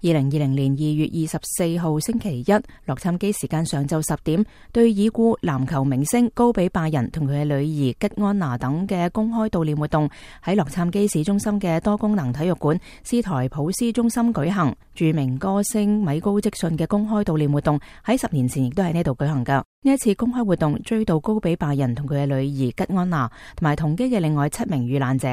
2020年2月24號星期一，洛杉磯時間上晝10點，對已故籃球明星高比拜仁同佢嘅女兒吉安娜等嘅公開悼念活動喺洛杉磯市中心嘅多功能體育館斯台普斯中心舉行。著名歌星米高積遜嘅公開悼念活動喺10年前亦都喺呢度舉行噶。呢一次公開活動追悼高比拜仁同佢嘅女兒吉安娜同埋同機嘅另外7名遇難者，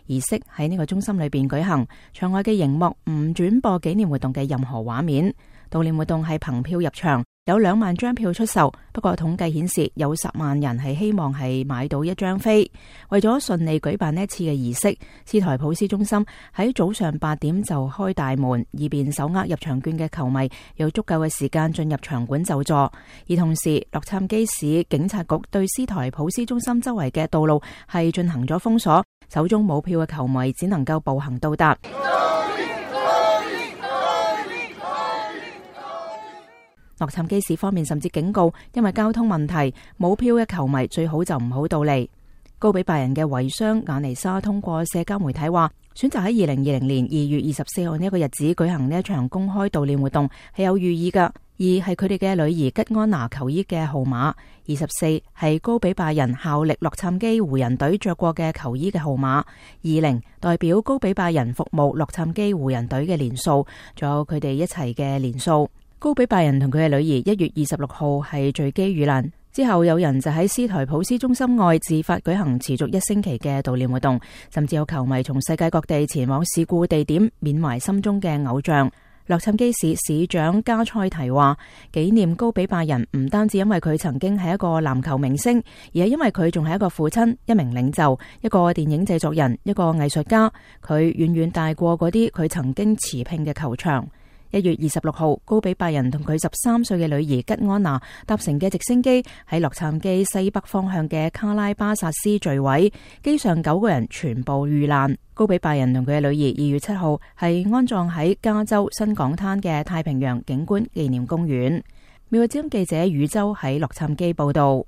儀式喺呢個中心裏邊舉行，場外嘅熒幕唔轉播紀念活動嘅任何畫面。悼念活動係憑票入場，有2萬張票出售，不過統計顯示有10萬人係希望係買到一張飛。為咗順利舉辦呢一次嘅儀式，斯台普斯中心喺早上8點就開大門，以便手握入場券嘅球迷有足夠嘅時間進入場館就座。而同時，洛杉磯市警察局對斯台普斯中心周圍嘅道路係進行咗封鎖，手中冇票嘅球迷只能夠步行到達。洛杉磯市方面甚至警告，因為交通問題，冇票嘅球迷最好就唔好到嚟。高比拜仁嘅遺孀雅尼莎通過社交媒體話，選擇喺2020年2月24號呢一個日子舉行呢一場公開悼念活動係有寓意噶。2係佢哋嘅女兒吉安娜球衣嘅號碼，24係高比拜仁效力洛杉磯湖人隊着過嘅球衣嘅號碼，20代表高比拜仁服務洛杉磯湖人隊嘅年數，仲有佢哋一齊嘅年數。高比拜仁同佢嘅女兒1月26號係墜機遇難之後，有人就喺斯台普斯中心外自發舉行持續1星期嘅悼念活動，甚至有球迷從世界各地前往事故地點緬懷心中嘅偶像。洛杉磯市市長加塞提話，紀念高比拜仁唔單止因為佢曾經係一個籃球明星，而係因為佢仲係一個父親、一名領袖、一個電影製作人、一個藝術家。佢遠遠大過嗰啲佢曾經持聘嘅球場。1月26號，高比拜仁同佢13歲嘅女兒吉安娜搭乘嘅直升機喺洛杉磯西北方向嘅卡拉巴薩斯墜毀，機上9個人全部遇難。高比拜仁同佢嘅女兒2月7號係安葬喺加州新港灘嘅太平洋景觀紀念公園。美國之音記者宇洲喺洛杉磯報道。